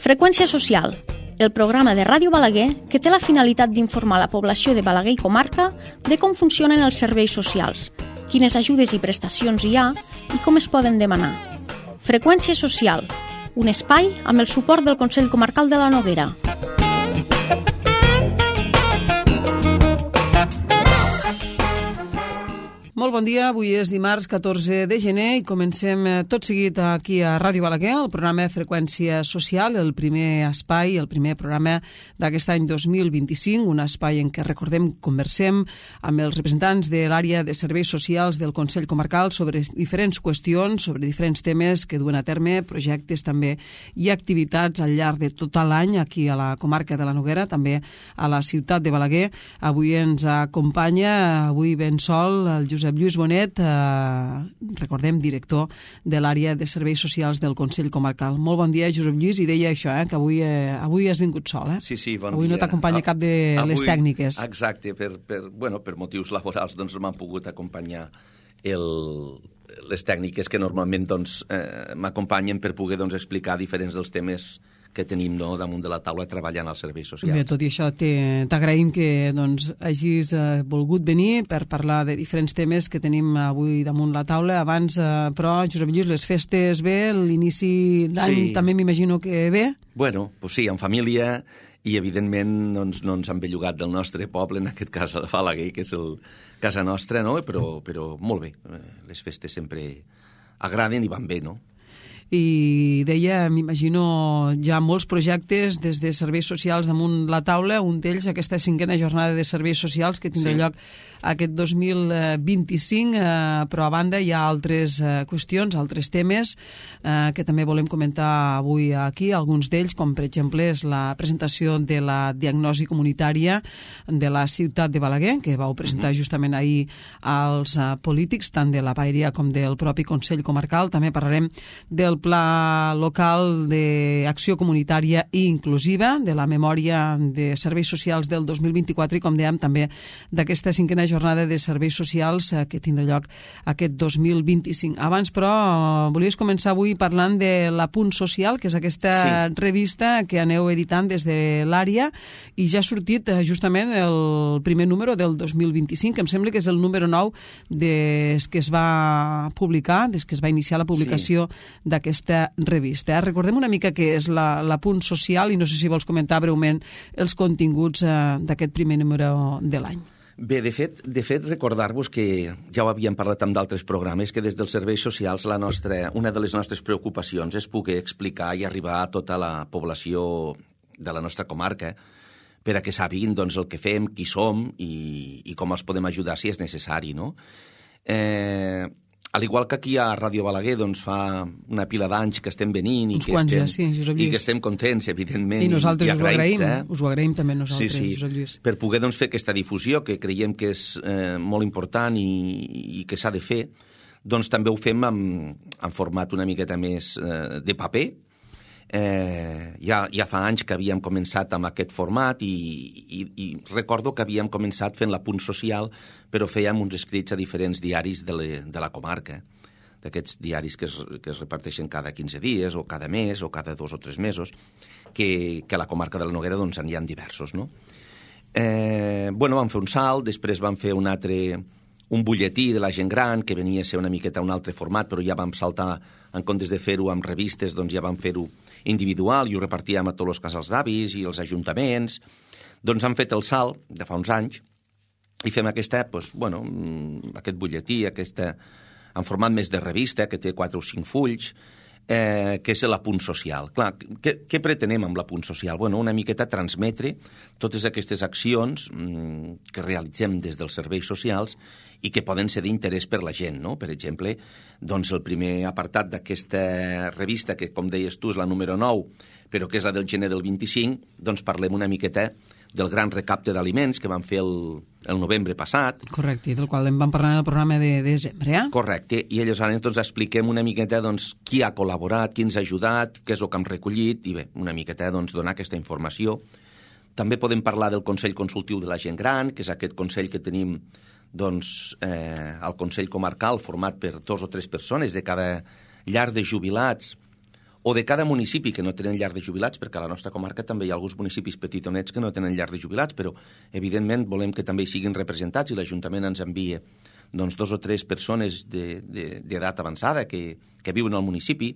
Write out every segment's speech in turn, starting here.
Freqüència social, el programa de Ràdio Balaguer que té la finalitat d'informar la població de Balaguer i comarca de com funcionen els serveis socials, quines ajudes i prestacions hi ha i com es poden demanar. Freqüència social, un espai amb el suport del Consell Comarcal de la Noguera. Molt bon dia, avui és dimarts 14 de gener i comencem tot seguit aquí a Ràdio Balaguer, el programa Freqüència Social, el primer espai, el primer programa d'aquest any 2025, un espai en què recordem, conversem amb els representants de l'àrea de serveis socials del Consell Comarcal sobre diferents qüestions, sobre diferents temes que duen a terme, projectes també i activitats al llarg de tot l'any aquí a la comarca de la Noguera, també a la ciutat de Balaguer. Avui ens acompanya, avui ben sol, el Josep Lluís Bonet, recordem, director de l'àrea de serveis socials del Consell Comarcal. Molt bon dia, Josep Lluís, i deia això, que avui has vingut sol, Sí, bon avui dia. No t'acompanya cap de les tècniques. Exacte, per motius laborals doncs m'han pogut acompanyar les tècniques que normalment m'acompanyen per poder explicar diferents dels temes que tenim damunt de la taula treballant als serveis socials. Bé, tot i això, t'agraïm que hagis volgut venir per parlar de diferents temes que tenim avui damunt la taula. Abans, però, Josep Lluís, les festes bé, l'inici d'any també m'imagino que bé? Bueno, doncs sí, en família, i evidentment no ens han bellugat del nostre poble, en aquest cas a Balaguer, que és casa nostra, no? Però molt bé, les festes sempre agraden i van bé, no? I deia, m'imagino, ja molts projectes des de serveis socials damunt la taula, un d'ells aquesta 5a jornada de serveis socials que tindrà lloc aquest 2025, però a banda hi ha altres qüestions, altres temes que també volem comentar avui aquí, alguns d'ells, com per exemple és la presentació de la diagnosi comunitària de la ciutat de Balaguer, que vau presentar justament ahir als polítics, tant de la Paeria com del propi Consell Comarcal. També parlarem del Pla Local d'Acció Comunitària i Inclusiva, de la memòria de serveis socials del 2024 i, com dèiem, també d'aquesta 5a jornada de serveis socials que tindrà lloc aquest 2025. Abans, però, volies començar avui parlant de l'Apunt Social, que és aquesta revista que aneu editant des de l'àrea, i ja ha sortit justament el primer número del 2025, que em sembla que és el número 9 des que es va publicar, des que es va iniciar la publicació d'aquesta revista. Recordem una mica què és l'Apunt Social i no sé si vols comentar breument els continguts d'aquest primer número de l'any. Bé, de fet, recordar-vos que ja ho havíem parlat amb d'altres programes, que des dels serveis socials una de les nostres preocupacions és poder explicar i arribar a tota la població de la nostra comarca per a que sàpiguin el que fem, qui som i com els podem ajudar si és necessari, no? Al igual que aquí a Ràdio Balaguer fa una pila d'anys que estem venint i que estem contents, evidentment. I nosaltres us ho agraïm també nosaltres, Josep Lluís. Per poder fer aquesta difusió, que creiem que és molt important i que s'ha de fer, també ho fem en format una miqueta més de paper. Ja fa anys que havíem començat amb aquest format i recordo que havíem començat fent l'Apunt Social, però fèiem uns escrits a diferents diaris de la comarca, d'aquests diaris que es reparteixen cada 15 dies o cada mes o cada 2 o 3 mesos, que a la comarca de la Noguera n'hi ha diversos, no? Vam fer un salt, després vam fer un butlletí de la gent gran, que venia a ser una miqueta un altre format, però ja vam saltar, en comptes de fer-ho amb revistes, ja vam fer-ho individual i ho repartíem a tots els casals d'avis i els ajuntaments. Han fet el salt de fa uns anys i fem aquest butlletí, en format més de revista, que té 4 o 5 fulls, que és l'Apunt Social. Clar, què pretenem amb l'Apunt Social? Una miqueta transmetre totes aquestes accions que realitzem des dels serveis socials i que poden ser d'interès per la gent, no? Per exemple, el primer apartat d'aquesta revista, que com deies tu és la número 9, però que és la del gener del 25, parlem una miqueta del gran recapte d'aliments que vam fer el novembre passat. Correcte, i del qual en vam parlar en el programa de desembre, Correcte, i aleshores expliquem una miqueta qui ha col·laborat, qui ens ha ajudat, què és el que hem recollit, i bé, una miqueta donar aquesta informació. També podem parlar del Consell Consultiu de la Gent Gran, que és aquest consell que tenim al Consell Comarcal, format per 2 o 3 persones de cada llar de jubilats o de cada municipi que no tenen llar de jubilats, perquè a la nostra comarca també hi ha alguns municipis petitonets que no tenen llar de jubilats, però evidentment volem que també hi siguin representats i l'Ajuntament ens envia doncs 2 o 3 persones d'edat avançada que viuen al municipi,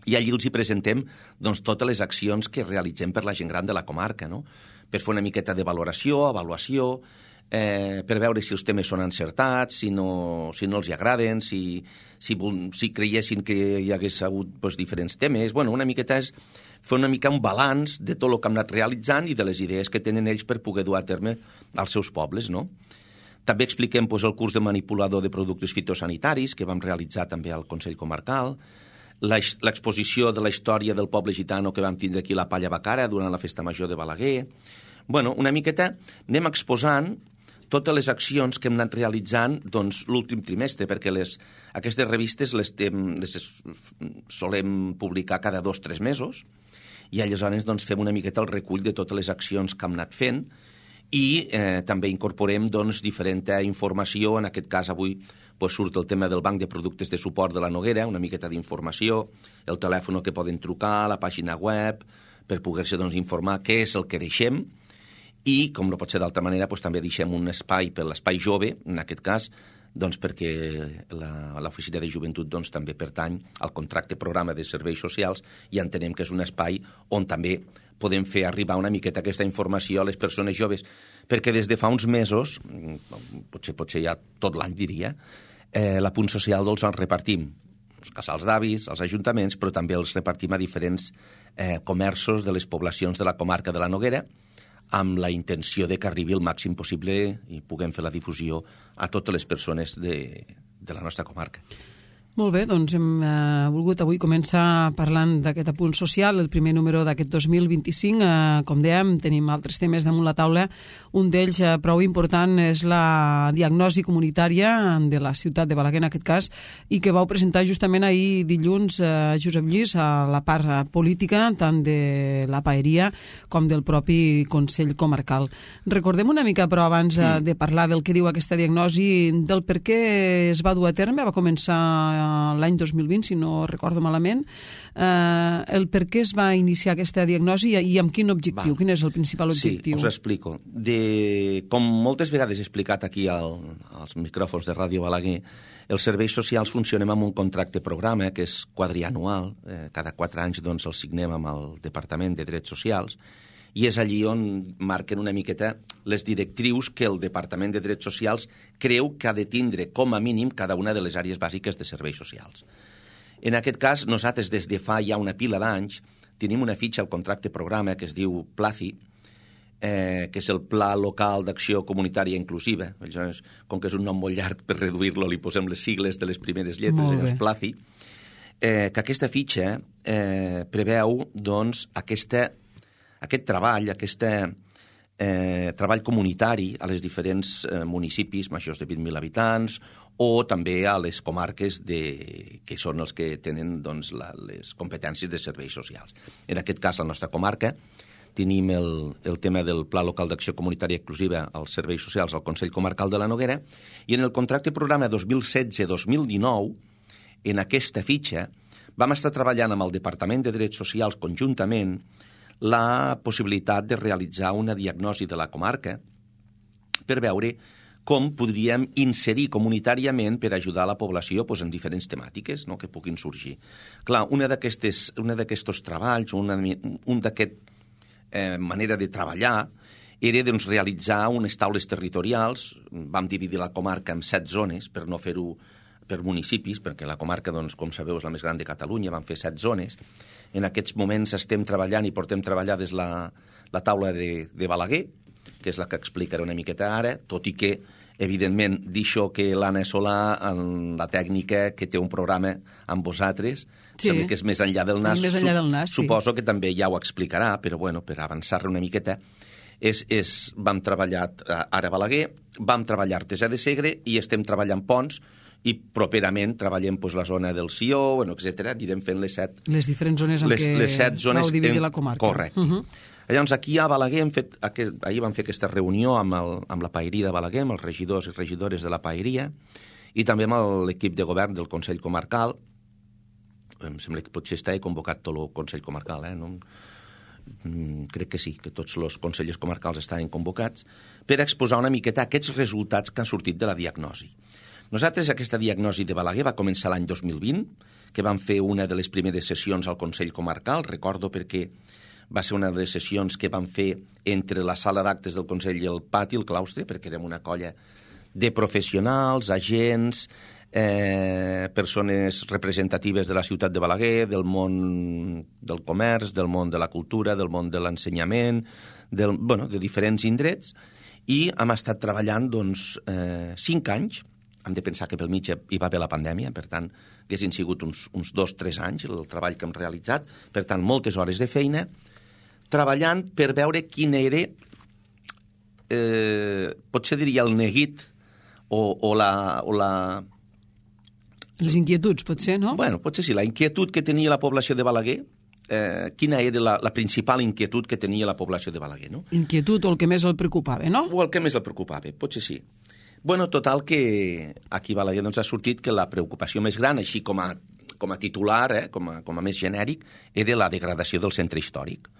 i allí els hi presentem doncs, totes les accions que realitzem per la gent gran de la comarca, no? Per fer una miqueta de valoració, avaluació, per veure si els temes són encertats, si no els hi agraden, si creiessin que hi hagués hagut doncs, diferents temes. Bueno, una miqueta és fer una mica un balanç de tot el que hem anat realitzant i de les idees que tenen ells per poder dur a terme als seus pobles, no? També expliquem doncs, el curs de manipulador de productes fitosanitaris que vam realitzar també al Consell Comarcal, l'exposició de la història del poble gitano que vam tindre aquí a la Palla Bacara durant la Festa Major de Balaguer. Bueno, una miqueta anem exposant totes les accions que hem anat realitzant doncs, l'últim trimestre, perquè aquestes revistes les solem publicar cada 2 o 3 mesos, i aleshores doncs, fem una miqueta el recull de totes les accions que hem anat fent, i també incorporem doncs, diferent informació. En aquest cas avui doncs, surt el tema del banc de productes de suport de la Noguera, una miqueta d'informació, el telèfon que poden trucar, la pàgina web, per poder-se doncs, informar què és el que deixem. I, com no pot ser d'altra manera, doncs, també deixem un espai per l'espai jove, en aquest cas, doncs, perquè l'Oficina de Joventut doncs, també pertany al contracte programa de serveis socials, i entenem que és un espai on també podem fer arribar una miqueta aquesta informació a les persones joves, perquè des de fa uns mesos, potser ja tot l'any diria, la Punt Social doncs, els repartim els casals d'avis, als ajuntaments, però també els repartim a diferents comerços de les poblacions de la comarca de la Noguera, amb la intenció de que arribi el màxim possible i puguem fer la difusió a totes les persones de la nostra comarca. Molt bé, doncs hem volgut avui començar parlant d'aquest apunt social, el primer número d'aquest 2025. Com dèiem, tenim altres temes damunt la taula. Un d'ells prou important és la diagnosi comunitària de la ciutat de Balaguer, en aquest cas, i que vau presentar justament ahir dilluns, Josep Lluís, a la part política, tant de la paeria com del propi Consell Comarcal. Recordem una mica, però, abans de parlar del que diu aquesta diagnosi, del per què es va dur a terme. Va començar l'any 2020, si no recordo malament, el per què es va iniciar aquesta diagnosi i amb quin objectiu, quin és el principal objectiu? Sí, us explico. Com moltes vegades he explicat aquí als micròfons de Ràdio Balaguer, els serveis socials funcionem amb un contracte programa que és quadrianual, cada 4 anys doncs, el signem amb el Departament de Drets Socials, i és allí on marquen una miqueta les directrius que el Departament de Drets Socials creu que ha de tindre com a mínim cada una de les àrees bàsiques de serveis socials. En aquest cas, nosaltres des de fa ja una pila d'anys tenim una fitxa al contracte programa que es diu PLACI, que és el Pla Local d'Acció Comunitària Inclusiva. Com que és un nom molt llarg, per reduir-lo li posem les sigles de les primeres lletres, és PLACI, que aquesta fitxa preveu doncs, aquest treball, treball comunitari a les diferents municipis majors de 20.000 habitants o també a les comarques que són els que tenen doncs, les competències de serveis socials. En aquest cas, la nostra comarca, tenim el tema del Pla Local d'Acció Comunitària Inclusiva als serveis socials al Consell Comarcal de la Noguera, i en el contracte programa 2016-2019, en aquesta fitxa, vam estar treballant amb el Departament de Drets Socials conjuntament la possibilitat de realitzar una diagnosi de la comarca per veure com podríem inserir comunitàriament per ajudar la població en diferents temàtiques que puguin sorgir. Clar, una d'aquests treballs, un d'aquest manera de treballar era realitzar unes taules territorials. Vam dividir la comarca en 7 zones per no fer-ho per municipis, perquè la comarca, com sabeu, és la més gran de Catalunya. Vam fer 7 zones. En aquests moments estem treballant i portem treballar des la taula de Balaguer, que és la que explicaré una miqueta ara, tot i que, evidentment, d'això que l'Anna Solà, en la tècnica, que té un programa amb vosaltres, sembla que és més enllà del nas, suposo que també ja ho explicarà, però bueno, per avançar-ne una miqueta, vam treballar ara a Balaguer, vam treballar Artesà de Segre i estem treballant Ponts, i properament treballem la zona del Sió, etc. Anirem fent les diferents zones en què vau dividir la comarca. Correcte. Llavors, aquí a Balaguer ahir vam fer aquesta reunió amb la paeria de Balaguer, amb els regidors i regidores de la paeria, i també amb l'equip de govern del Consell Comarcal, em sembla que potser està convocat tot el Consell Comarcal, no? Crec que sí, que tots els consellers comarcals estaven convocats per exposar una miqueta aquests resultats que han sortit de la diagnosi. Nosaltres, aquesta diagnosi de Balaguer va començar l'any 2020, que vam fer una de les primeres sessions al Consell Comarcal, recordo perquè va ser una de les sessions que vam fer entre la sala d'actes del Consell i el pati, el claustre, perquè érem una colla de professionals, agents, persones representatives de la ciutat de Balaguer, del món del comerç, del món de la cultura, del món de l'ensenyament, de diferents indrets, i hem estat treballant 5 anys. Hem de pensar que pel mig hi va haver la pandèmia, per tant, haguessin sigut uns 2-3 anys el treball que hem realitzat, per tant, moltes hores de feina, treballant per veure quin era, potser diria el neguit o la... Les inquietuds, potser, no? Bueno, potser sí, la inquietud que tenia la població de Balaguer, quina era la principal inquietud que tenia la població de Balaguer, no? Inquietud o el que més el preocupava, no? O el que més el preocupava, potser sí. Bueno, total que aquí a Balaguer ha sortit que la preocupació més gran, així com a titular, com a més genèric, era la degradació del centre històric.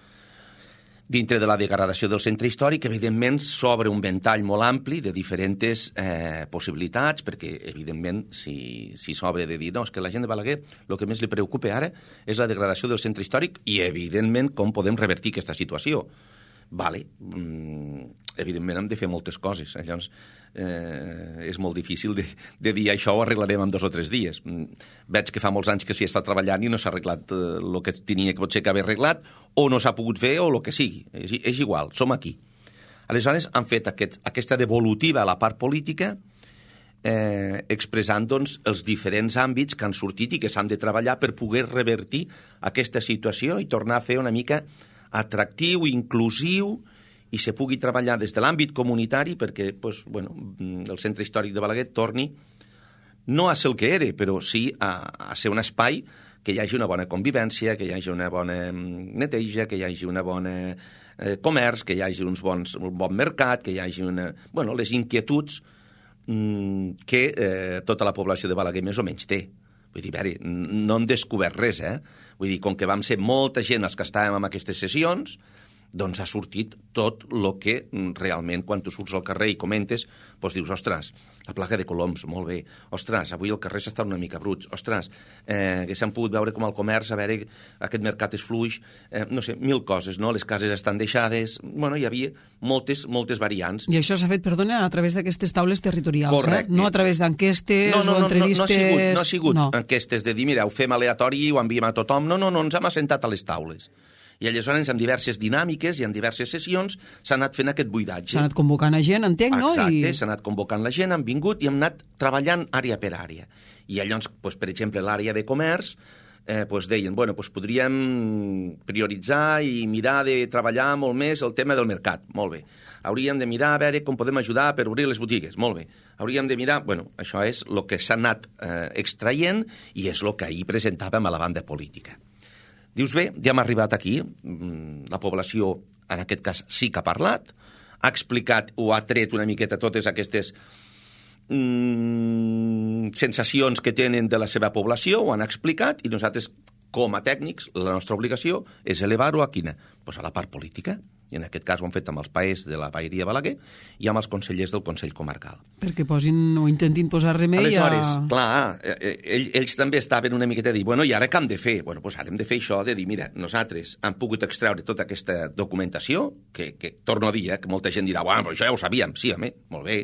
Dintre de la degradació del centre històric, evidentment, s'obre un ventall molt ampli de diferents possibilitats, perquè, evidentment, si s'obre de dir no, és que la gent de Balaguer el que més li preocupa ara és la degradació del centre històric i, evidentment, com podem revertir aquesta situació. Vale, evidentment hem de fer moltes coses, llavors és molt difícil de dir això ho arreglarem en 2 o 3 dies. Veig que fa molts anys que s'hi està treballant i no s'ha arreglat el que tenia que potser que haver arreglat, o no s'ha pogut fer, o el que sigui. És igual, som aquí. Aleshores han fet aquesta devolutiva a la part política, expressant els diferents àmbits que han sortit i que s'han de treballar per poder revertir aquesta situació i tornar a fer una mica atractiu, inclusiu, i se pugui treballar des de l'àmbit comunitari perquè el centre històric de Balaguer torni no a ser el que era, però sí a ser un espai que hi hagi una bona convivència, que hi hagi una bona neteja, que hi hagi una bona comerç, que hi hagi un bon mercat, que hi hagi les inquietuds que tota la població de Balaguer més o menys té. Vull dir, no hem descobert res, Vull dir, com que vam ser molta gent els que estàvem en aquestes sessions, doncs ha sortit tot el que realment, quan tu surts al carrer i comentes, doncs dius, ostres, la plaga de coloms, molt bé, ostres, avui el carrer s'està una mica bruts, ostres, que s'han pogut veure com el comerç, a veure, aquest mercat és fluix, no sé, 1000 coses, no? Les cases estan deixades, hi havia moltes variants. I això s'ha fet, perdona, a través d'aquestes taules territorials, correcte. No a través d'enquestes o entrevistes... No ha sigut enquestes de dir, mira, ho fem aleatori i ho enviem a tothom, no, ens hem assentat a les taules. I aleshores, amb diverses dinàmiques i en diverses sessions, s'ha anat fent aquest buidatge. S'ha anat convocant a gent, entenc, no? Exacte, s'ha anat convocant la gent, han vingut i hem anat treballant àrea per àrea. I llavors, per exemple, l'àrea de comerç, deien, podríem prioritzar i mirar de treballar molt més el tema del mercat. Molt bé. Hauríem de mirar a veure com podem ajudar per obrir les botigues. Molt bé. Hauríem de mirar... això és el que s'ha anat extraient i és el que ahir presentàvem a la banda política. Dius, bé, ja hem arribat aquí, la població, en aquest cas, sí que ha parlat, ha explicat o ha tret una miqueta totes aquestes sensacions que tenen de la seva població, ho han explicat, i nosaltres, com a tècnics, la nostra obligació és elevar-ho a quina? Doncs a la part política. I en aquest cas ho han fet amb els paers de la Paeria Balaguer i amb els consellers del Consell Comarcal. Perquè posin o intentin posar remei aleshores, clar, ells també estaven una miqueta de dir, i ara què hem de fer? Ara hem de fer això, de dir, mira, nosaltres hem pogut extreure tota aquesta documentació, que torno a dir, que molta gent dirà, però això ja ho sabíem. Sí, home, molt bé,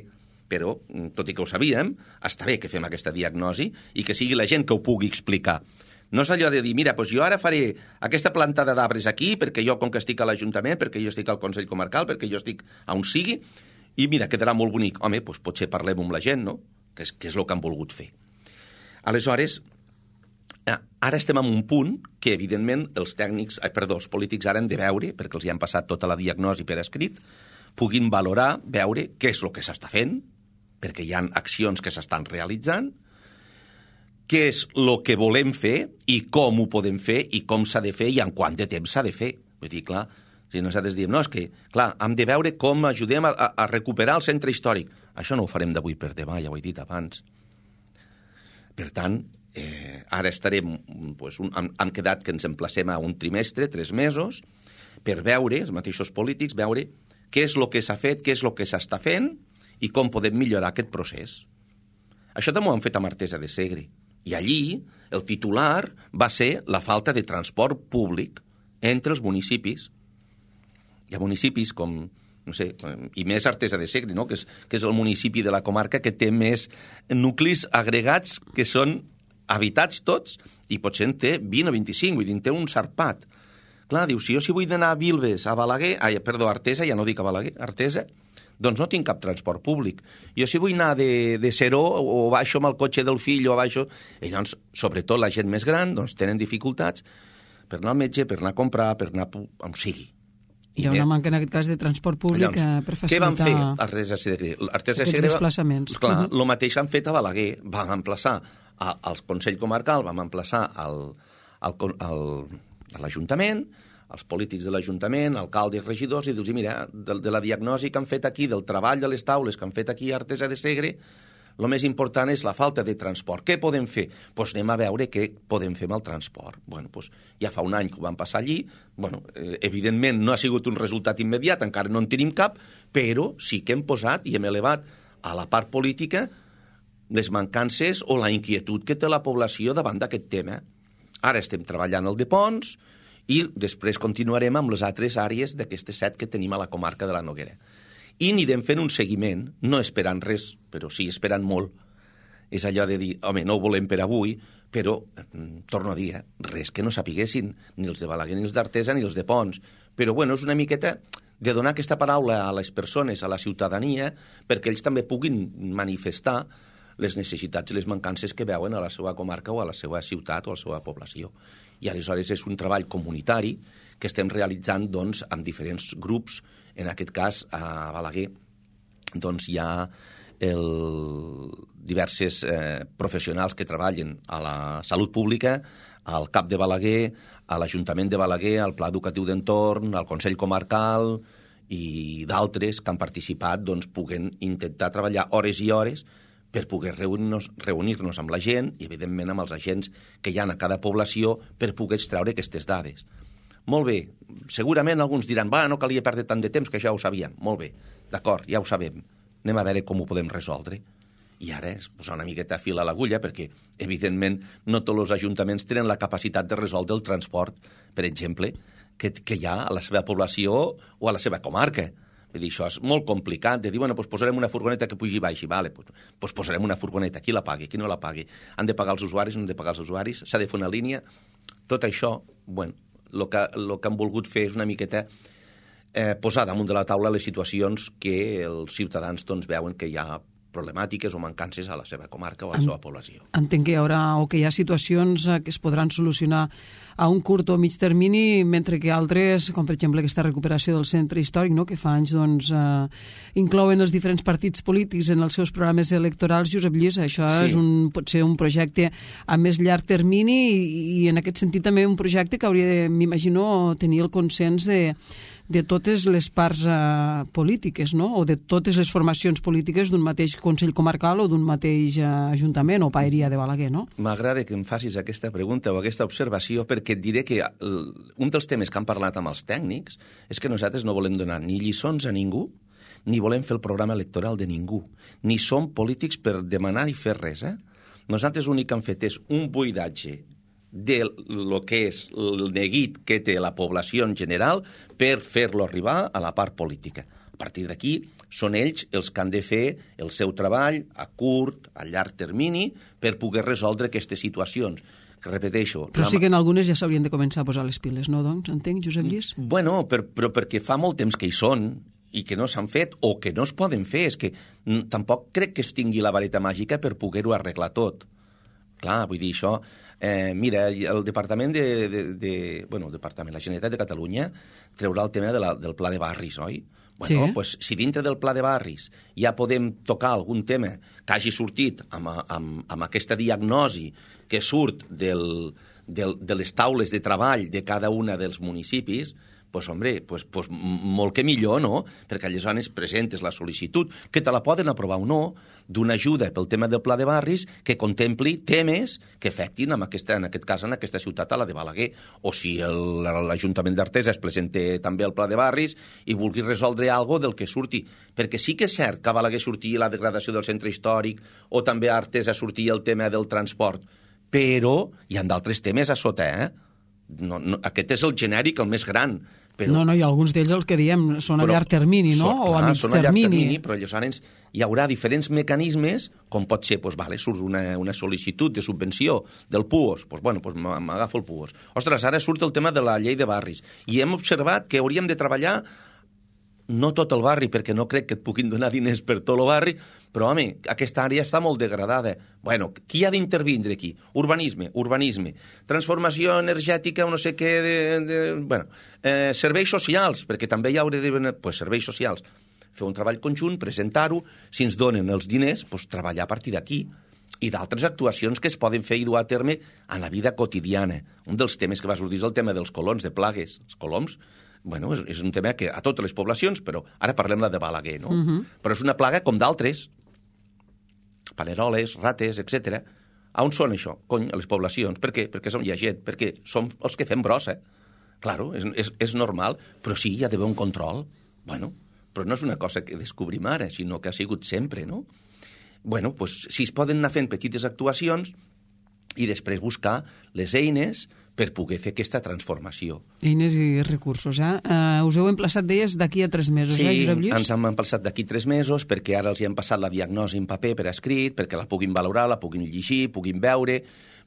però, tot i que ho sabíem, està bé que fem aquesta diagnosi i que sigui la gent que ho pugui explicar. No és allò de dir, mira, jo ara faré aquesta plantada d'arbres aquí, perquè jo, com que estic a l'Ajuntament, perquè jo estic al Consell Comarcal, perquè jo estic on sigui, i mira, quedarà molt bonic. Home, potser parlem amb la gent, no? Que és el que han volgut fer. Aleshores, ara estem en un punt que, evidentment, els polítics ara han de veure, perquè els hi han passat tota la diagnosi per escrit, puguin valorar, veure què és el que s'està fent, perquè hi ha accions que s'estan realitzant, què és el que volem fer i com ho podem fer i com s'ha de fer i en quant de temps s'ha de fer. Vull dir, clar, si nosaltres diem, és que, clar, hem de veure com ajudem a recuperar el centre històric. Això no ho farem d'avui per demà, ja ho he dit abans. Per tant, Ara estarem, hem quedat que ens emplacem a un trimestre, 3 mesos, per veure, els mateixos polítics, veure què és el que s'ha fet, què és el que s'està fent i com podem millorar aquest procés. Això també ho han fet amb Artesa de Segre. I allí el titular va ser la falta de transport públic entre els municipis. Hi ha municipis com, no sé, i més Artesa de Segre, no? que és el municipi de la comarca que té més nuclis agregats que són habitats tots, i potser en té 20 o 25, vull dir, en té un sarpat. Clar, diu, si jo vull d'anar a Vilves, a Balaguer, a Artesa, ja no dic a Balaguer, Artesa, doncs no tinc cap transport públic. Jo si vull anar de Seró, o baixo amb el cotxe del fill, o baixo... I doncs, sobretot la gent més gran, doncs tenen dificultats per anar al metge, per anar a comprar, per anar on sigui. Hi ha una manca, en aquest cas, de transport públic per facilitar... Què van fer Artesa de Segre? Aquests desplaçaments. Clar, el mateix han fet a Balaguer. Vam emplaçar al Consell Comarcal, vam emplaçar a l'Ajuntament, als polítics de l'Ajuntament, alcaldes, regidors, i dir-los, mira, de la diagnosi que han fet aquí, del treball de les taules que han fet aquí a Artesa de Segre, el més important és la falta de transport. Què podem fer? Doncs anem a veure què podem fer amb el transport. Bueno, doncs ja fa un any que ho vam passar allí. Bueno, evidentment no ha sigut un resultat immediat, encara no en tenim cap, però sí que hem posat i hem elevat a la part política les mancances o la inquietud que té la població davant d'aquest tema. Ara estem treballant el de Ponts i després continuarem amb les altres àrees d'aquestes 7 que tenim a la comarca de la Noguera. I anirem fent un seguiment, no esperant res, però sí esperant molt. És allò de dir, home, no ho volem per avui, però, torno a dir, res que no sapiguessin, ni els de Balaguer, ni els d'Artesa, ni els de Ponts. Però, bueno, és una miqueta de donar aquesta paraula a les persones, a la ciutadania, perquè ells també puguin manifestar les necessitats i les mancances que veuen a la seva comarca o a la seva ciutat o a la seva població. I aleshores és un treball comunitari que estem realitzant doncs, amb diferents grups. En aquest cas, a Balaguer doncs, hi ha diverses professionals que treballen a la salut pública, al CAP de Balaguer, a l'Ajuntament de Balaguer, al Pla Educatiu d'Entorn, al Consell Comarcal i d'altres que han participat doncs, puguen intentar treballar hores i hores per poder reunir-nos amb la gent i, evidentment, amb els agents que hi ha a cada població per poder extreure aquestes dades. Molt bé, segurament alguns diran, no calia perdre tant de temps, que ja ho sabíem. Molt bé, d'acord, ja ho sabem. Anem a veure com ho podem resoldre. I ara és posar una miqueta fil a l'agulla perquè, evidentment, no tots els ajuntaments tenen la capacitat de resoldre el transport, per exemple, que hi ha a la seva població o a la seva comarca. Vull dir, això és molt complicat, de dir, doncs posarem una furgoneta que pugi i baixi, vale, doncs posarem una furgoneta, qui la pagui, qui no la pagui, han de pagar els usuaris, no han de pagar els usuaris, s'ha de fer una línia, tot això, bueno, el que han volgut fer és una miqueta posar damunt de la taula les situacions que els ciutadans doncs, veuen que hi ha problemàtiques o mancances a la seva comarca o a la seva població. Entenc que hi haurà o que hi ha situacions que es podran solucionar a un curt o mig termini, mentre que altres, com per exemple aquesta recuperació del centre històric, no?, que fa anys doncs, inclouen els diferents partits polítics en els seus programes electorals. Josep Lluís, això sí. Pot ser un projecte a més llarg termini i en aquest sentit també un projecte que hauria de, m'imagino, tenir el consens de totes les parts polítiques, no?, o de totes les formacions polítiques d'un mateix Consell Comarcal o d'un mateix Ajuntament o Paeria de Balaguer, no? M'agrada que em facis aquesta pregunta o aquesta observació perquè et diré que un dels temes que han parlat amb els tècnics és que nosaltres no volem donar ni lliçons a ningú ni volem fer el programa electoral de ningú, ni som polítics per demanar i fer res, Nosaltres l'únic que hem fet és un buidatge de lo que és el neguit que té la població en general per fer-lo arribar a la part política. A partir d'aquí són ells els que han de fer el seu treball a curt, a llarg termini, per poder resoldre aquestes situacions. Que repeteixo... Però sí que en algunes ja s'haurien de començar a posar les piles, no, doncs? Entenc, Josep Lluís? Bueno, però perquè fa molt temps que hi són i que no s'han fet o que no es poden fer. És que tampoc crec que es tingui la vareta màgica per poder-ho arreglar tot. Clar, vull dir, això... mira, el Departament la Generalitat de Catalunya treurà el tema del Pla de Barris, oi? Bueno, sí. Pues, si dintre del Pla de Barris ja podem tocar algun tema que hagi sortit amb aquesta diagnosi que surt de les taules de treball de cada una dels municipis, molt que millor, no? Perquè aleshores presentes la sol·licitud, que te la poden aprovar o no, d'una ajuda pel tema del pla de barris que contempli temes que afectin, en aquest cas, en aquesta ciutat, a la de Balaguer. O si l'Ajuntament d'Artesa es presenta també el pla de barris i vulgui resoldre alguna cosa del que surti. Perquè sí que és cert que a Balaguer sortia la degradació del centre històric o també a Artesa sortia el tema del transport, però hi ha d'altres temes a sota, aquest és el genèric, el més gran. No, i alguns d'ells el que diem són a llarg termini, no? O a mig termini. Són a llarg termini, però aleshores hi haurà diferents mecanismes, com pot ser, surt una sol·licitud de subvenció del PUOS, m'agafo el PUOS. Ostres, ara surt el tema de la llei de barris, i hem observat que hauríem de treballar no tot el barri, perquè no crec que et puguin donar diners per tot el barri, però, home, aquesta àrea està molt degradada. Bueno, qui ha d'intervindre aquí? Urbanisme. Transformació energètica o no sé què, serveis socials, perquè també hi haurà de... serveis socials. Fer un treball conjunt, presentar-ho, si ens donen els diners, treballar a partir d'aquí. I d'altres actuacions que es poden fer i dur a terme en la vida quotidiana. Un dels temes que va sortir és el tema dels colons, de plagues. Els coloms, és un tema que a totes les poblacions, però ara parlem de Balaguer, no? Però és una plaga com d'altres. Paneroles, rates, etc. On són això? A les poblacions. Per què? Perquè hi ha gent, perquè som els que fem brossa. Claro, és normal, però sí, hi ha d'haver un control. Però no és una cosa que descobrim ara, sinó que ha sigut sempre, no? Si es poden anar fent petites actuacions i després buscar les eines per poder fer aquesta transformació. Eines i recursos, Us heu emplaçat, deies, d'aquí a 3 mesos, Josep Lluís? Sí, ens hem emplaçat d'aquí 3 mesos, perquè ara els hi hem passat la diagnosi en paper per escrit, perquè la puguin valorar, la puguin llegir, puguin veure,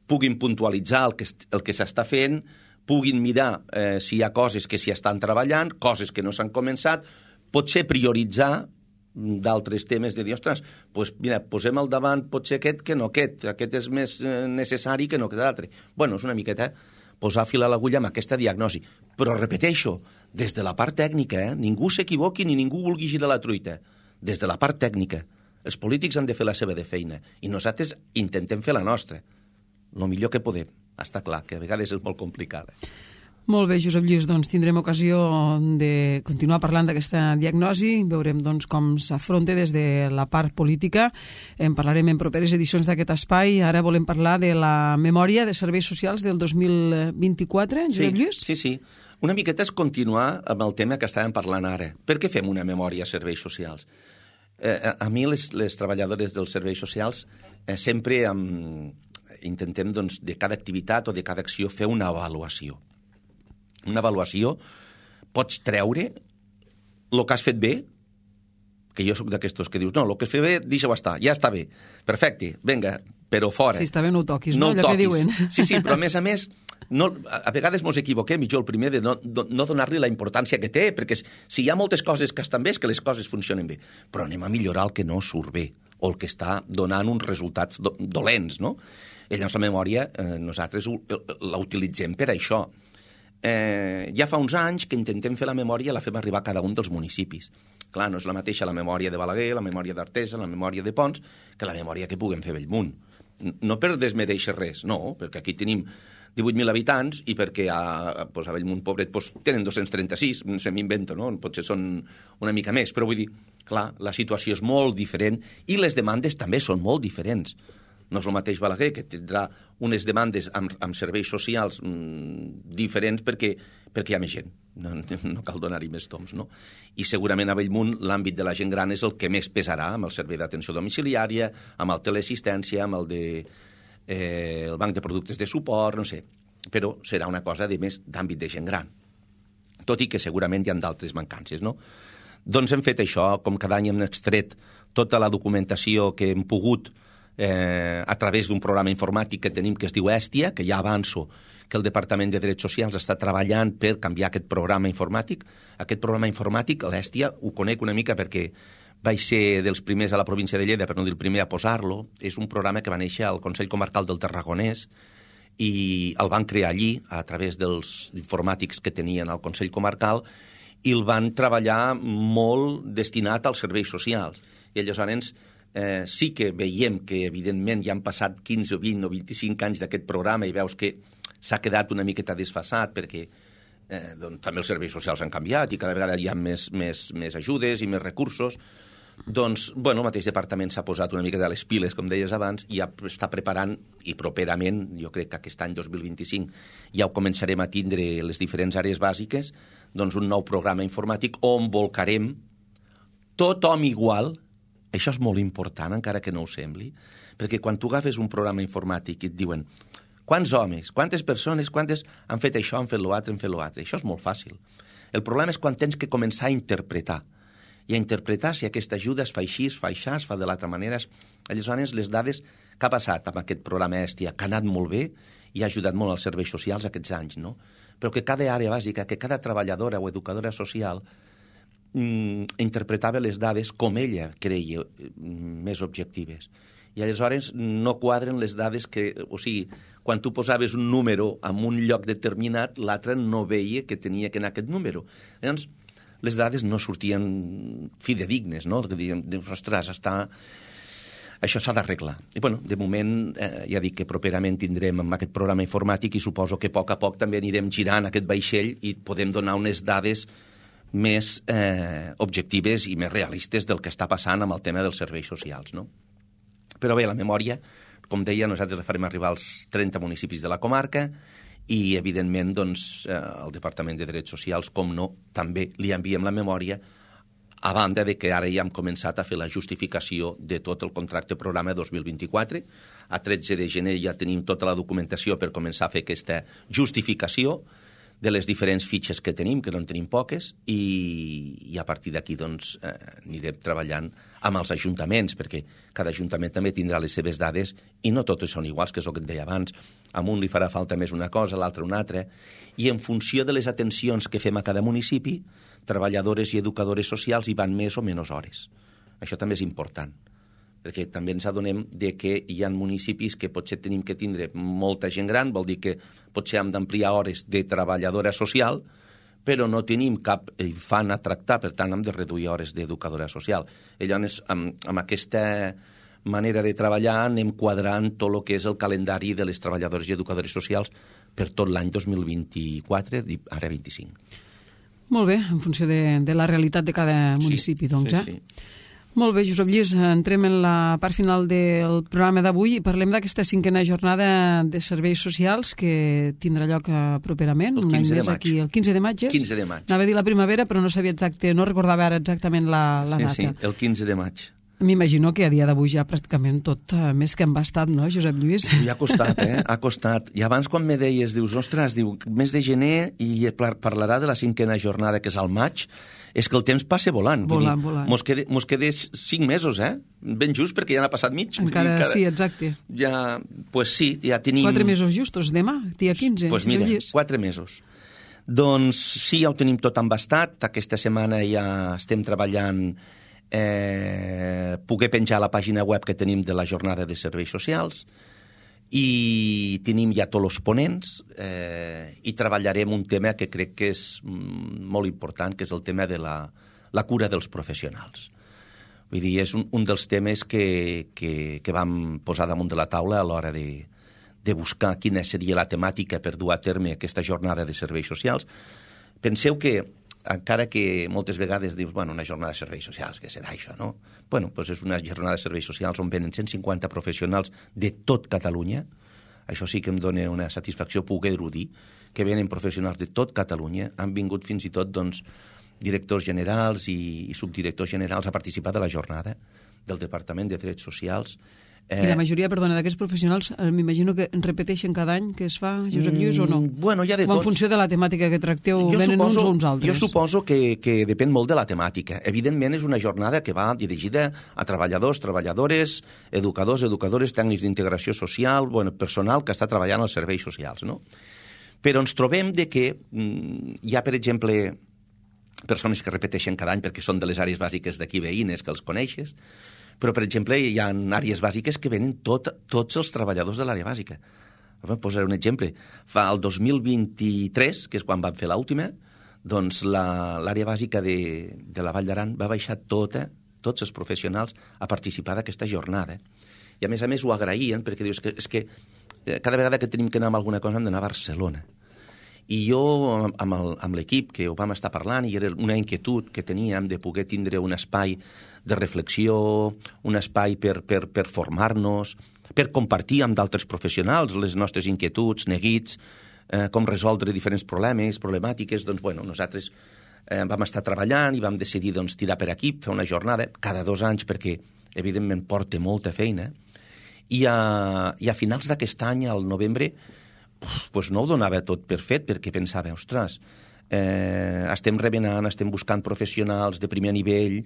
puguin puntualitzar el que s'està fent, puguin mirar si hi ha coses que s'hi estan treballant, coses que no s'han començat, potser prioritzar d'altres temes de dir, ostres, mira, posem al davant potser aquest que no aquest és més necessari que no aquest altre. És una miqueta posar fil a l'agulla amb aquesta diagnosi. Però repeteixo, des de la part tècnica, ningú s'equivoqui ni ningú vulgui girar la truita. Des de la part tècnica. Els polítics han de fer la seva feina i nosaltres intentem fer la nostra. El millor que podem. Està clar que a vegades és molt complicada. Molt bé, Josep Lluís, doncs tindrem ocasió de continuar parlant d'aquesta diagnosi, veurem com s'afronta des de la part política, en parlarem en properes edicions d'aquest espai. Ara volem parlar de la memòria de serveis socials del 2024, Josep Lluís? Sí. Una miqueta és continuar amb el tema que estàvem parlant ara. Per què fem una memòria de serveis socials? A mi les treballadores dels serveis socials sempre intentem de cada activitat o de cada acció fer una avaluació. Una avaluació, pots treure el que has fet bé, que jo soc d'aquestos que dius, no, el que has fet bé, deixa-ho estar, ja està bé, perfecte, vinga, però fora. Si està bé no ho toquis, no? Allò que diuen. Sí, però a més, a vegades mos equivoquem, i jo el primer de no donar-li la importància que té, perquè si hi ha moltes coses que estan bé és que les coses funcionen bé, però anem a millorar el que no surt bé, o el que està donant uns resultats dolents, no? I llavors la memòria, nosaltres la utilitzem per això. Ja fa uns anys que intentem fer la memòria, la fem arribar a cada un dels municipis. Clar, no és la mateixa la memòria de Balaguer, la memòria d'Artesa, la memòria de Ponts, que la memòria que puguem fer a Bellmunt. No per desmereixer res, no, perquè aquí tenim 18.000 habitants i perquè a Bellmunt, pobret, tenen 236, se m'invento, no? Potser són una mica més, però vull dir, clar, la situació és molt diferent i les demandes també són molt diferents. No és el mateix Balaguer, que tindrà unes demandes amb serveis socials diferents perquè hi ha més gent. No cal donar-hi més toms, no? I segurament a Bellmunt l'àmbit de la gent gran és el que més pesarà, amb el servei d'atenció domiciliària, amb el teleassistència, amb el banc de productes de suport, no sé. Però serà una cosa més d'àmbit de gent gran. Tot i que segurament hi ha d'altres mancances, no? Doncs hem fet això, com cada any hem extret tota la documentació que hem pogut a través d'un programa informàtic que tenim que es diu Hèstia, que ja avanço que el Departament de Drets Socials està treballant per canviar aquest programa informàtic. Aquest programa informàtic, l'Hèstia, ho conec una mica perquè vaig ser dels primers a la província de Lleida, per no dir el primer a posar-lo. És un programa que va néixer al Consell Comarcal del Tarragonès i el van crear allí a través dels informàtics que tenien al Consell Comarcal i el van treballar molt destinat als serveis socials. I aleshores sí que veiem que, evidentment, ja han passat 15 o 20 o 25 anys d'aquest programa i veus que s'ha quedat una miqueta desfasat perquè doncs, també els serveis socials han canviat i cada vegada hi ha més ajudes i més recursos. Doncs, el mateix departament s'ha posat una mica de les piles, com deies abans, i ja està preparant, i properament, jo crec que aquest any 2025 ja ho començarem a tindre les diferents àrees bàsiques, doncs un nou programa informàtic on volcarem tothom igual. Això és molt important, encara que no ho sembli, perquè quan tu agafes un programa informàtic i et diuen quants homes, quantes persones, quantes han fet això, han fet l'altre, han fet l'altre. Això és molt fàcil. El problema és quan tens que començar a interpretar. I a interpretar si aquesta ajuda es fa així, es fa això, es fa de l'altra manera. Aleshores, les dades que ha passat amb aquest programa Hèstia, que ha anat molt bé i ha ajudat molt als serveis socials aquests anys, no? Però que cada àrea bàsica, que cada treballadora o educadora social interpretava les dades com ella creia més objectives. I aleshores no quadren les dades que... O sigui, quan tu posaves un número en un lloc determinat, l'altre no veia que tenia que anar aquest número. Llavors, les dades no sortien fidedignes, no? Que dèiem, ostres, això s'ha d'arreglar. I, de moment, ja dic que properament tindrem amb aquest programa informàtic i suposo que a poc també anirem girant aquest vaixell i podem donar unes dades més objectives i més realistes del que està passant amb el tema dels serveis socials, no? Però bé, la memòria, com deia, nosaltres la farem arribar als 30 municipis de la comarca i, evidentment, doncs, el Departament de Drets Socials, com no, també li enviem la memòria, a banda de que ara ja hem començat a fer la justificació de tot el contracte programa 2024. A 13 de gener ja tenim tota la documentació per començar a fer aquesta justificació de les diferents fitxes que tenim, que no en tenim poques, i a partir d'aquí doncs, anirem treballant amb els ajuntaments, perquè cada ajuntament també tindrà les seves dades i no totes són iguals, que és el que et deia abans. A un li farà falta més una cosa, a l'altre una altra, i en funció de les atencions que fem a cada municipi, treballadores i educadores socials hi van més o menys hores. Això també és important, perquè també ens adonem de que hi ha municipis que potser tenim que tindre molta gent gran, vol dir que potser hem d'ampliar hores de treballadora social, però no tenim cap infant a tractar, per tant hem de reduir hores d'educadora social. Llavors, amb aquesta manera de treballar anem quadrant tot el que és el calendari de les treballadores i educadores socials per tot l'any 2024, ara 25. Molt bé, en funció de la realitat de cada municipi, doncs, sí. Molt bé, Josep Lluís, entrem en la part final del programa d'avui i parlem d'aquesta 5a jornada de serveis socials que tindrà lloc properament, un any més aquí, el 15 de maig. 15 de maig. Anava a dir la primavera, però no sabia no recordava ara exactament la data. Sí, el 15 de maig. M'imagino que a dia d'avui ja pràcticament tot més que embastat, no, Josep Lluís? I ha costat, ha costat. I abans quan me deies, dius, ostres, mes de gener i parlarà de la 5a jornada, que és al maig, és que el temps passa volant. Volant. Mos queda 5 mesos, ben just, perquè ja n'ha passat mig. Encara, sí, exacte. Ja, pues sí, ja tenim... 4 mesos justos, demà, dia 15. Pues mira, 4 mesos. Doncs sí, ja ho tenim tot embastat. Aquesta setmana ja estem treballant poder penjar la pàgina web que tenim de la jornada de serveis socials i tenim ja tots els ponents i treballarem un tema que crec que és molt important, que és el tema de la cura dels professionals. Vull dir, és un dels temes que vam posar damunt de la taula a l'hora de buscar quina seria la temàtica per dur a terme aquesta jornada de serveis socials. Penseu que encara que moltes vegades dius, una jornada de serveis socials, què serà això, no? Doncs és una jornada de serveis socials on venen 150 professionals de tot Catalunya. Això sí que em dona una satisfacció poder-ho dir, que venen professionals de tot Catalunya. Han vingut fins i tot, directors generals i subdirectors generals a participar de la jornada del Departament de Drets Socials. I la majoria, d'aquests professionals, m'imagino que repeteixen cada any que es fa, Josep Lluís, o no? Hi ha de tot. O en funció de la temàtica que tracteu, venen uns o uns altres? Jo suposo que depèn molt de la temàtica. Evidentment, és una jornada que va dirigida a treballadors, treballadores, educadors, educadores, tècnics d'integració social, personal que està treballant als serveis socials, no? Però ens trobem de que hi ha, per exemple, persones que repeteixen cada any perquè són de les àrees bàsiques d'aquí veïnes, que els coneixes, però, per exemple, hi ha àrees bàsiques que venen tots els treballadors de l'àrea bàsica. Posaré un exemple. Fa el 2023, que és quan vam fer l'última, doncs l'àrea bàsica de la Vall d'Aran va baixar tots els professionals a participar d'aquesta jornada. I, a més, ho agraïen, perquè dius que és que cada vegada que tenim que anar a alguna cosa hem d'anar a Barcelona. I jo, amb l'equip que ho vam estar parlant, i era una inquietud que teníem de poder tindre un espai de reflexió, un espai per formar-nos, per compartir amb d'altres professionals les nostres inquietuds, neguits, com resoldre diferents problemàtiques, doncs, bueno, nosaltres vam estar treballant i vam decidir doncs, tirar per aquí, fer una jornada cada 2 anys, perquè, evidentment, porta molta feina. I a finals d'aquest any, al novembre, pues no ho donava tot per fet, perquè pensava, ostres, estem remenant, estem buscant professionals de primer nivell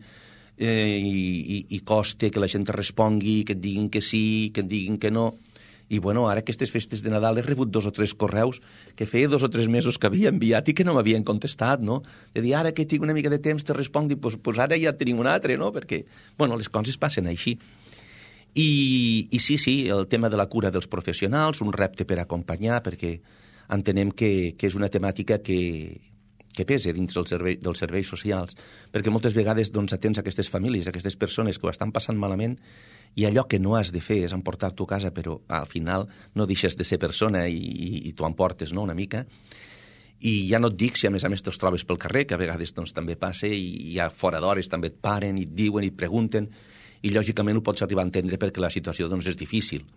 i costa que la gent respongui, que et diguin que sí, que et diguin que no. I bueno, ara aquestes festes de Nadal he rebut 2 o 3 correus que feia 2 o 3 mesos que havia enviat i que no m'havien contestat, no? De dir, ara que tinc una mica de temps te responc, pues ara ja tenim un altre, no? Perquè, bueno, les coses passen així. I sí, el tema de la cura dels professionals, un repte per acompanyar, perquè entenem que és una temàtica que pesa dins dels serveis socials, perquè moltes vegades doncs, atens aquestes famílies, aquestes persones que ho estan passant malament, i allò que no has de fer és emportar-t'ho a casa, però al final no deixes de ser persona i t'ho emportes, no?, una mica. I ja no et dic si a més te'ls trobes pel carrer, que a vegades doncs, també passa, i ja fora d'hores també et paren i et diuen i et pregunten, i lògicament ho pots arribar a entendre perquè la situació doncs, és difícil.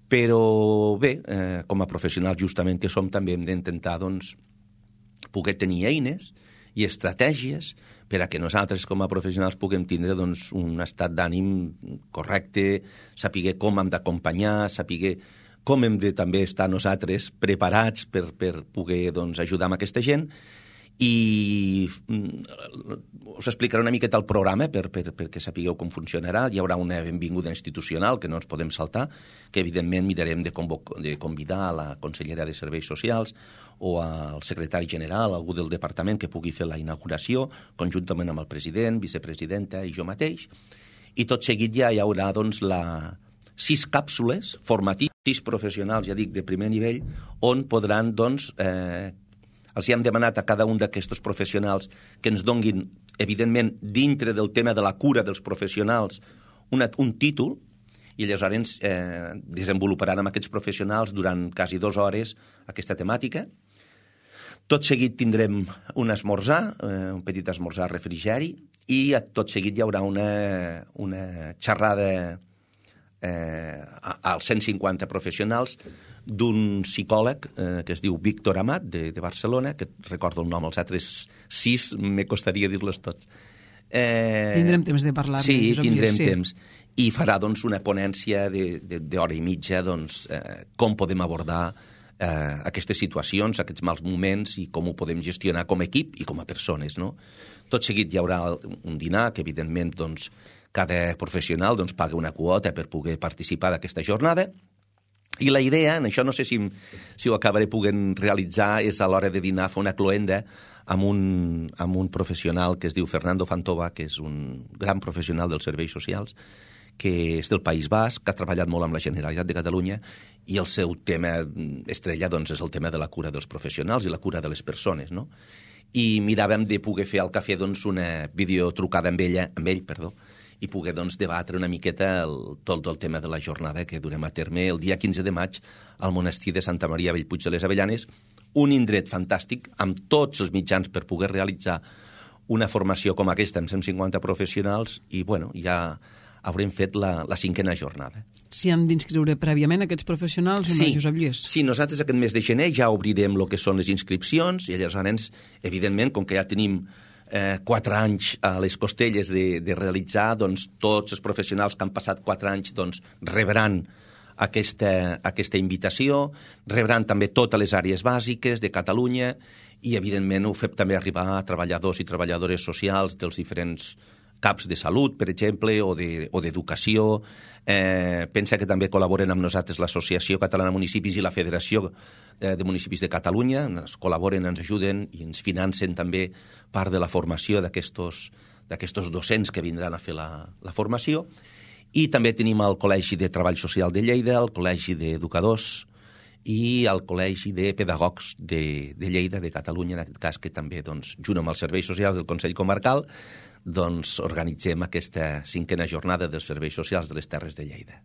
Però bé, com a professionals justament que som, també hem d'intentar doncs, poder tenir eines i estratègies per a que nosaltres com a professionals puguem tindre doncs, un estat d'ànim correcte, saber com hem d'acompanyar, saber com hem de també estar nosaltres preparats per poder doncs, ajudar amb aquesta gent. I us explicaré una miqueta el programa perquè sapigueu com funcionarà. Hi haurà una benvinguda institucional que no ens podem saltar, que evidentment mirarem de convidar a la consellera de Serveis Socials o al secretari general, algú del departament que pugui fer la inauguració, conjuntament amb el president, vicepresidenta i jo mateix. I tot seguit ja hi haurà doncs, 6 càpsules formatives, 6 professionals, ja dic, de primer nivell, on podran doncs, els hem demanat a cada un d'aquests professionals que ens donguin, evidentment, dintre del tema de la cura dels professionals, un títol, i aleshores desenvoluparan amb aquests professionals durant quasi 2 hores aquesta temàtica. Tot seguit tindrem un esmorzar, un petit esmorzar refrigeri, i tot seguit hi haurà una xerrada als 150 professionals d'un psicòleg que es diu Víctor Amat, de Barcelona, que recordo el nom, els altres 6 me costaria dir-los tots. Tindrem temps de parlar-ne. Sí, tindrem temps. I farà doncs, una ponència d'hora i mitja doncs, com podem abordar aquestes situacions, aquests mals moments i com ho podem gestionar com a equip i com a persones. No? Tot seguit hi haurà un dinar que, evidentment, doncs, cada professional doncs, paga una quota per poder participar d'aquesta jornada. I la idea, en això no sé si ho acabaré podent realitzar, és a l'hora de dinar fer una cloenda amb un professional que es diu Fernando Fantova, que és un gran professional dels serveis socials, que és del País Basc, que ha treballat molt amb la Generalitat de Catalunya, i el seu tema estrella doncs, és el tema de la cura dels professionals i la cura de les persones. No? I miràvem de poder fer al cafè doncs, una videotrucada amb ell, i poder doncs, debatre una miqueta tot el tema de la jornada que durem a terme el dia 15 de maig al monestir de Santa Maria Bellpuig de les Avellanes, un indret fantàstic amb tots els mitjans per poder realitzar una formació com aquesta amb 150 professionals i bueno, ja haurem fet la 5a jornada. S'hi han d'inscriure prèviament aquests professionals o no, Josep Lluís? Sí, nosaltres aquest mes de gener ja obrirem el que són les inscripcions i aleshores, evidentment, com que ja tenim 4 anys a les costelles de realitzar, doncs tots els professionals que han passat 4 anys doncs, rebran aquesta invitació, rebran també totes les àrees bàsiques de Catalunya i, evidentment, ho fem també arribar a treballadors i treballadores socials dels diferents CAPs de salut, per exemple, o d'educació. Pensa que també col·laboren amb nosaltres l'Associació Catalana de Municipis i la Federació de Municipis de Catalunya. Ens col·laboren, ens ajuden i ens financen també part de la formació d'aquests docents que vindran a fer la formació. I també tenim el Col·legi de Treball Social de Lleida, el Col·legi d'Educadors i el Col·legi de Pedagogs de Lleida, de Catalunya, en aquest cas, que també, doncs, junt amb els serveis socials del Consell Comarcal, doncs, organitzem aquesta 5a jornada dels serveis socials de les Terres de Lleida.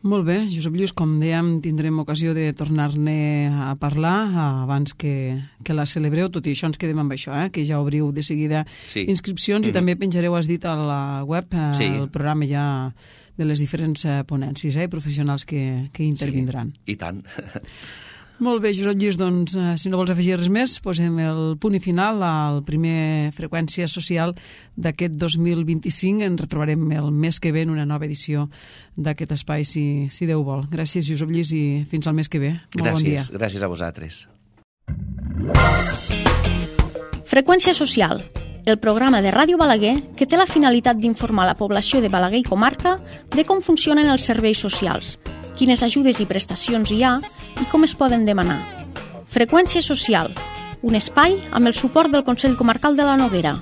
Molt bé, Josep Lluís, com dèiem, tindrem ocasió de tornar-ne a parlar abans que la celebreu, tot i això ens quedem amb això, que ja obriu de seguida inscripcions i també penjareu, has dit, a la web el programa ja de les diferents ponències i professionals que intervindran. I tant. Molt bé, Josep Lluís, doncs, si no vols afegir res més, posem el punt i final al primer Freqüència Social d'aquest 2025. Ens retrobarem el mes que ve en una nova edició d'aquest espai, si Déu vol. Gràcies, Josep Lluís, i fins al mes que ve. Molt bon dia. Gràcies a vosaltres. Freqüència Social, el programa de Ràdio Balaguer que té la finalitat d'informar la població de Balaguer i comarca de com funcionen els serveis socials, quines ajudes i prestacions hi ha i com es poden demanar. Freqüència Social, un espai amb el suport del Consell Comarcal de la Noguera.